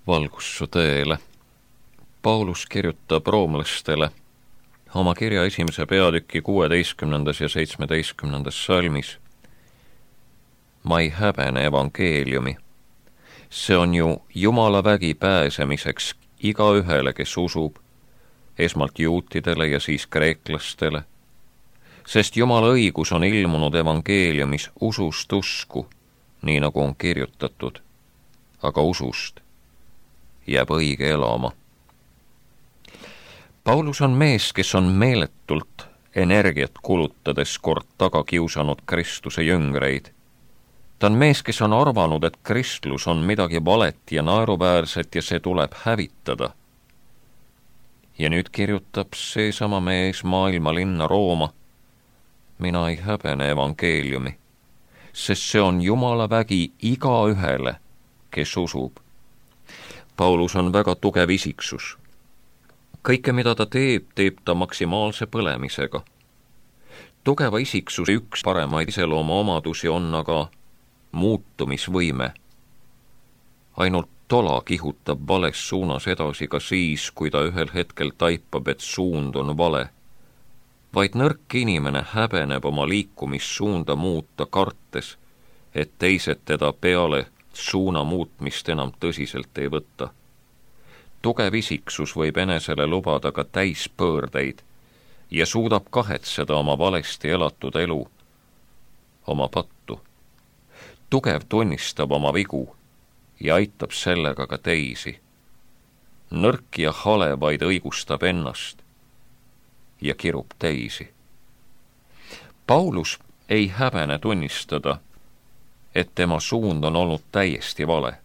Valgus su tõele. Paulus kirjutab roomlastele oma kirja 1. peatüki 16. ja 17. salmis. Ma ei häbene evangeeliumi. See on ju Jumala vägi pääsemiseks igaühele, kes usub, esmalt juutidele ja siis kreeklastele, sest Jumala õigus on ilmunud evangeeliumis usust usku, nii nagu on kirjutatud, aga usust jääb õige elama. Paulus on mees, kes on meeletult energiat kulutades kord taga kiusanud Kristuse jüngreid. Ta on mees, kes on arvanud, et kristlus on midagi valet ja naeruväärset ja see tuleb hävitada. Ja nüüd kirjutab seesama mees maailmalinna Rooma: mina ei häbene evangeeliumi, sest see on Jumala vägi igaühele, kes usub. Paulus on väga tugev isiksus. Kõike, mida ta teeb, teeb ta maksimaalse põlemisega. Tugeva isiksuse üks paremaid iselooma omadusi on aga muutumisvõime. Ainult tola kihutab vales suunas edasi ka siis, kui ta ühel hetkel taipab, et suund on vale. Vaid nõrk inimene häbeneb oma liikumissuunda muuta, kartes, et teised teda peale suuna muutmist enam tõsiselt ei võtta. Tugev isiksus võib enesele lubada ka täispöördeid ja suudab kahetseda oma valesti elatud elu, oma pattu. Tugev tunnistab oma vigu ja aitab sellega ka teisi. Nõrk ja hale vaid õigustab ennast ja kirub teisi. Paulus ei häbene tunnistada, et tema suund on olnud täiesti vale.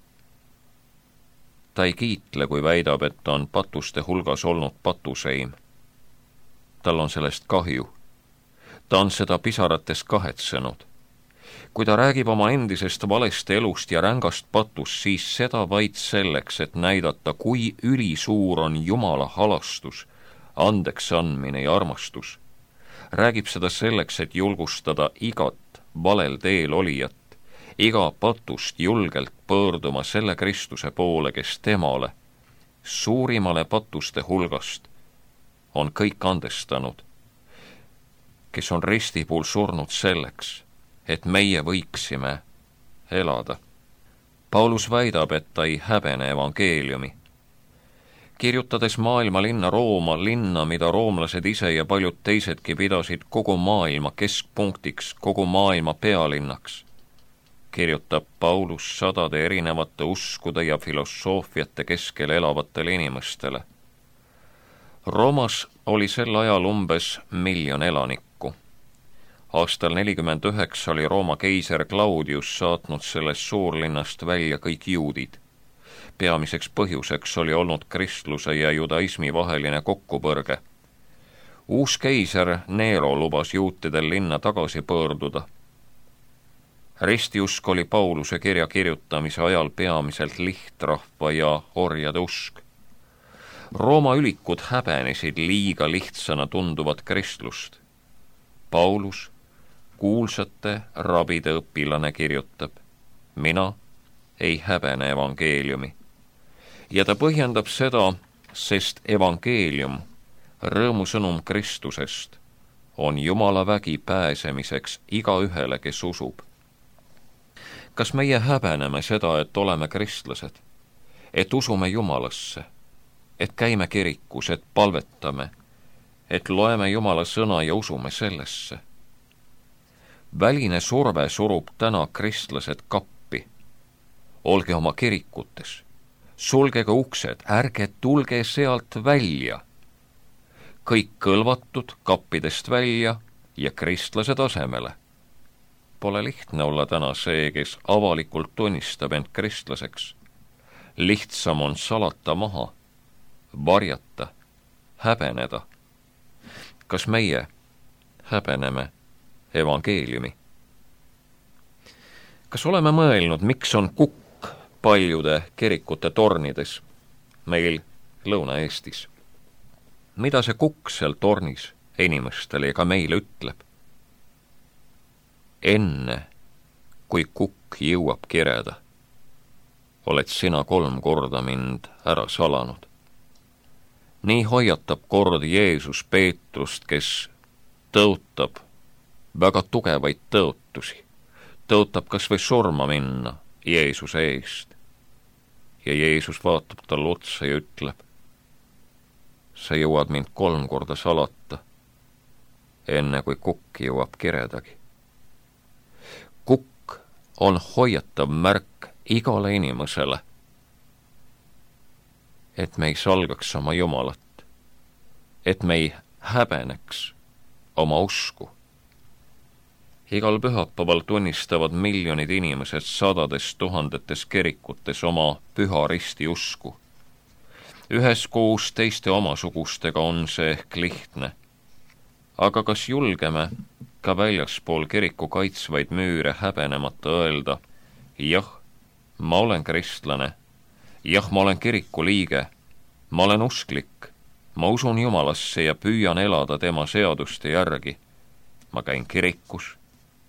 Ta ei kiitle, kui väidab, et ta on patuste hulgas olnud patuseim. Tal on sellest kahju. Ta on seda pisarates kahetsenud. Kui ta räägib oma endisest valest elust ja rängast patust, siis seda vaid selleks, et näidata, kui ülisuur on Jumala halastus, andeks andmine ja armastus. Räägib seda selleks, et julgustada igat valel teel olijat, iga patust julgelt pöörduma selle Kristuse poole, kes temale, suurimale patuste hulgast, on kõik andestanud, kes on ristipuul surnud selleks, et meie võiksime elada. Paulus väidab, et ta ei häbene evangeeliumi. Kirjutades maailmalinna Rooma, linna, mida roomlased ise ja paljud teisedki pidasid kogu maailma keskpunktiks, kogu maailma pealinnaks, kirjutab Paulus sadade erinevate uskude ja filosoofiate keskel elavatele inimestele. Roomas oli sel ajal umbes 1 miljon elanikku. Aastal 49 oli Rooma keiser Claudius saatnud sellest suurlinnast välja kõik juudid. Peamiseks põhjuseks oli olnud kristluse ja judaismi vaheline kokkupõrge. Uus keiser Nero lubas juutidel linna tagasi pöörduda. Ristiusk oli Pauluse kirja kirjutamise ajal peamiselt lihtrahva ja orjade usk. Rooma ülikud häbenesid liiga lihtsana tunduvat kristlust. Paulus, kuulsate rabide õpilane, kirjutab: mina ei häbene evangeeliumi. Ja ta põhjendab seda, sest evangeelium, rõõmusõnum Kristusest, on Jumala vägi pääsemiseks igaühele, kes usub. Kas meie häbeneme seda, et oleme kristlased, et usume Jumalasse, et käime kirikus, et palvetame, et loeme Jumala sõna ja usume sellesse? Väline surve surub täna kristlased kappi. Olge oma kirikutes, sulgege uksed, ärge tulge sealt välja. Kõik kõlvatud kappidest välja ja kristlased asemele. Pole lihtne olla täna see, kes avalikult tunnistab end kristlaseks. Lihtsam on salata maha, varjata, häbeneda. Kas meie häbeneme evangeeliumi? Kas oleme mõelnud, miks on kukk paljude kirikute tornides meil Lõuna-Eestis? Mida see kukk seal tornis inimestele ja ka meile ütleb? Enne, kui kukk jõuab kireda, oled sina 3 korda mind ära salanud. Nii hoiatab kord Jeesus Peetrust, kes tõotab väga tugevaid tõotusi, tõotab kas või surma minna Jeesuse eest. Ja Jeesus vaatab talle otsa ja ütleb, sa jõuad mind 3 korda salata, enne kui kukk jõuab kiredagi. Kukk on hoiatav märk igale inimesele, et me ei salgaks oma Jumalat, et me ei häbeneks oma usku. Igal pühapäeval tunnistavad miljonid inimesed 100 000 kirikutes oma püha risti usku. Üheskoos teiste omasugustega on see ehk lihtne. Aga kas julgeme ka väljaspool kiriku kaitsvaid müüre häbenemata öelda, jah, ma olen kristlane, jah, ma olen kiriku liige, ma olen usklik, ma usun Jumalasse ja püüan elada tema seaduste järgi. Ma käin kirikus,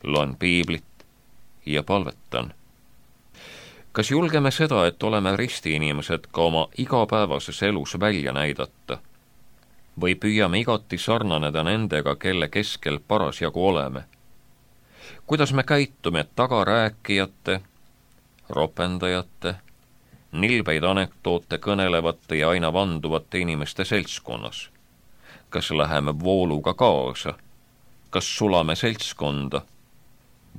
loen piiblit ja palvetan. Kas julgeme seda, et oleme ristiinimesed ka oma igapäevases elus välja näidata? Või püüame igati sarnaneda nendega, kelle keskel parasjagu oleme? Kuidas me käitume tagarääkijate, ropendajate, nilbeid anekdoote kõnelevate ja aina vanduvate inimeste seltskonnas? Kas läheme vooluga kaasa? Kas sulame seltskonda?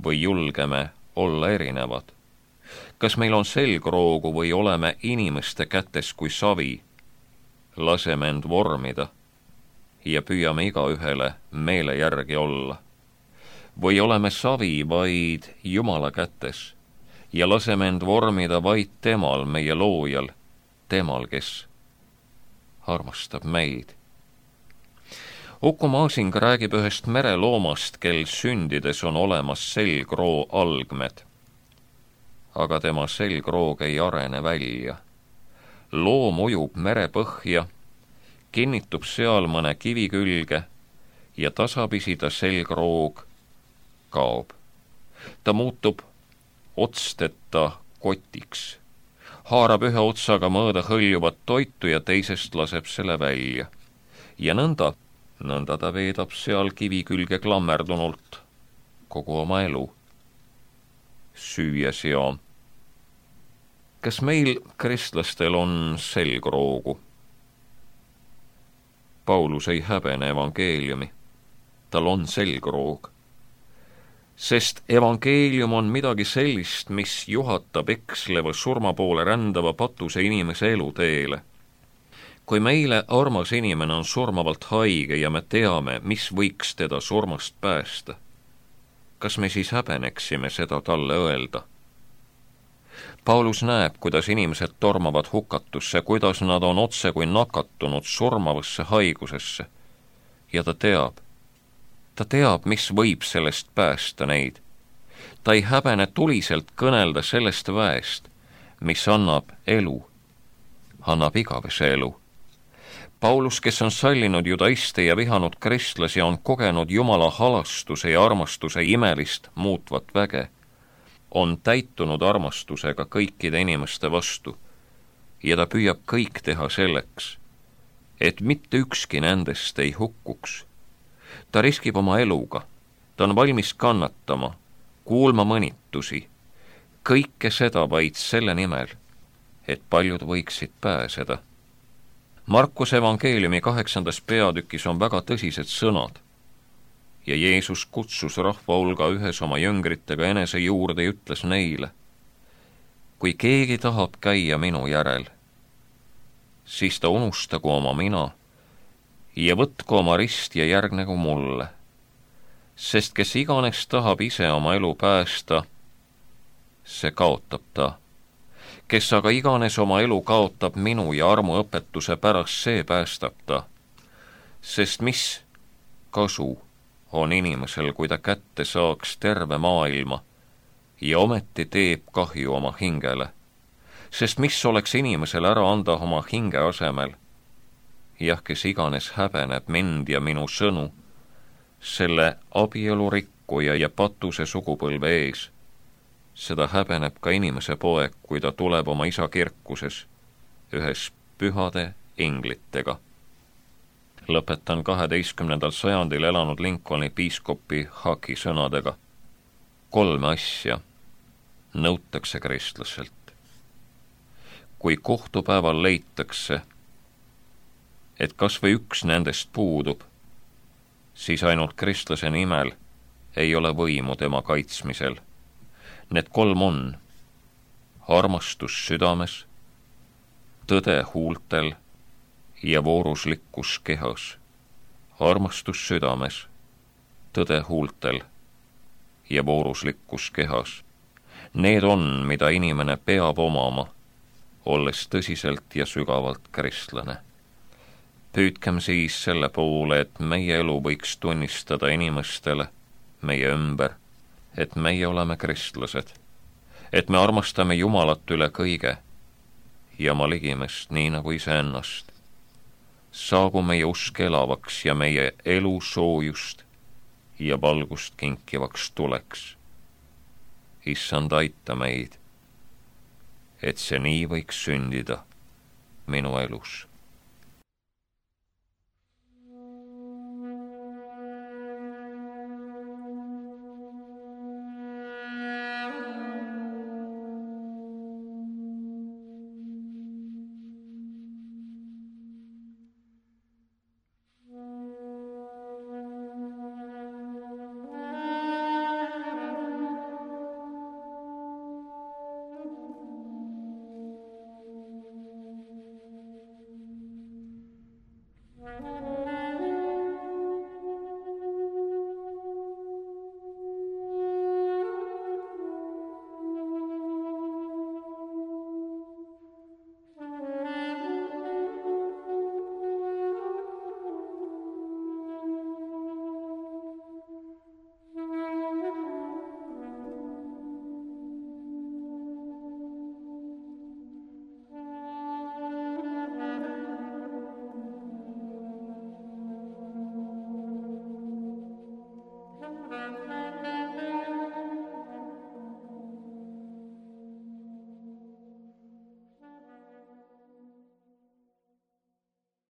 Või julgeme olla erinevad? Kas meil on selgroogu või oleme inimeste kätes kui savi? Laseme end vormida ja püüame igaühele meele järgi olla. Või oleme savi vaid Jumala kätes ja laseme end vormida vaid temal, meie loojal, temal, kes armastab meid. Uku Masing räägib ühest mereloomast, kel sündides on olemas selgroo algmed, aga tema selgroog ei arene välja. Loom ujub merepõhja, kinnitub seal mõne kivi külge ja tasapisi ta selgroog kaob. Ta muutub otsteta kotiks, haarab ühe otsaga mõõda hõljuvat toitu ja teisest laseb selle välja. Ja nõnda ta veedab seal kivi külge klammerdunult kogu oma elu, süües ja. Kas meil kristlastel on selgroogu? Paulus ei häbene evangeeliumi, tal on selgroog. Sest evangeelium on midagi sellist, mis juhatab eksleva surma poole rändava patuse inimese eluteele. Kui meile armas inimene on surmavalt haige ja me teame, mis võiks teda surmast päästa, kas me siis häbeneksime seda talle öelda? Paulus näeb, kuidas inimesed tormavad hukatusse, kuidas nad on otse kui nakatunud surmavasse haigusesse. Ja ta teab, mis võib sellest päästa neid. Ta ei häbene tuliselt kõnelda sellest väest, mis annab elu, annab igavese elu. Paulus, kes on sallinud judaiste ja vihanud kristlasi, on kogenud Jumala halastuse ja armastuse imelist muutvat väge, on täitunud armastusega kõikide inimeste vastu ja ta püüab kõik teha selleks, et mitte ükski nendest ei hukkuks. Ta riskib oma eluga, ta on valmis kannatama, kuulma mõnitusi, kõike seda vaid selle nimel, et paljud võiksid pääseda. Markuse evangeeliumi 8. peatükis on väga tõsised sõnad ja Jeesus kutsus rahva hulga ühes oma jüngritega enese juurde ja ütles neile, kui keegi tahab käia minu järel, siis ta unustagu oma mina ja võtku oma rist ja järgnegu mulle, sest kes iganes tahab ise oma elu päästa, see kaotab ta. Kes aga iganes oma elu kaotab minu ja armuõpetuse pärast, see päästab ta. Sest mis kasu on inimesel, kui ta kätte saaks terve maailma ja ometi teeb kahju oma hingele? Sest mis oleks inimesel ära anda oma hinge asemel? Jah, kes iganes häbeneb mind ja minu sõnu, selle abielu rikkuja ja patuse sugupõlve ees, seda häbeneb ka inimese poeg, kui ta tuleb oma isa kirkuses ühes pühade inglitega. Lõpetan 12. sajandil elanud Lincolni piiskopi Haki sõnadega. 3 asja nõutakse kristlaselt. Kui kohtupäeval leitakse, et kas või üks nendest puudub, siis ainult kristlase nimel ei ole võimu tema kaitsmisel. Need 3 on armastus südames, tõde huultel ja vooruslikkus kehas. Armastus südames, tõde huultel ja vooruslikkus kehas. Need on, mida inimene peab omama, olles tõsiselt ja sügavalt kristlane. Püüdkem siis selle poole, et meie elu võiks tunnistada inimestele meie ümber, et meie oleme kristlased, et me armastame Jumalat üle kõige ja oma ligimest nii nagu iseennast. Saagu meie usk elavaks ja meie elu soojust ja valgust kinkivaks tuleks. Issand, aita meid, et see nii võiks sündida minu elus.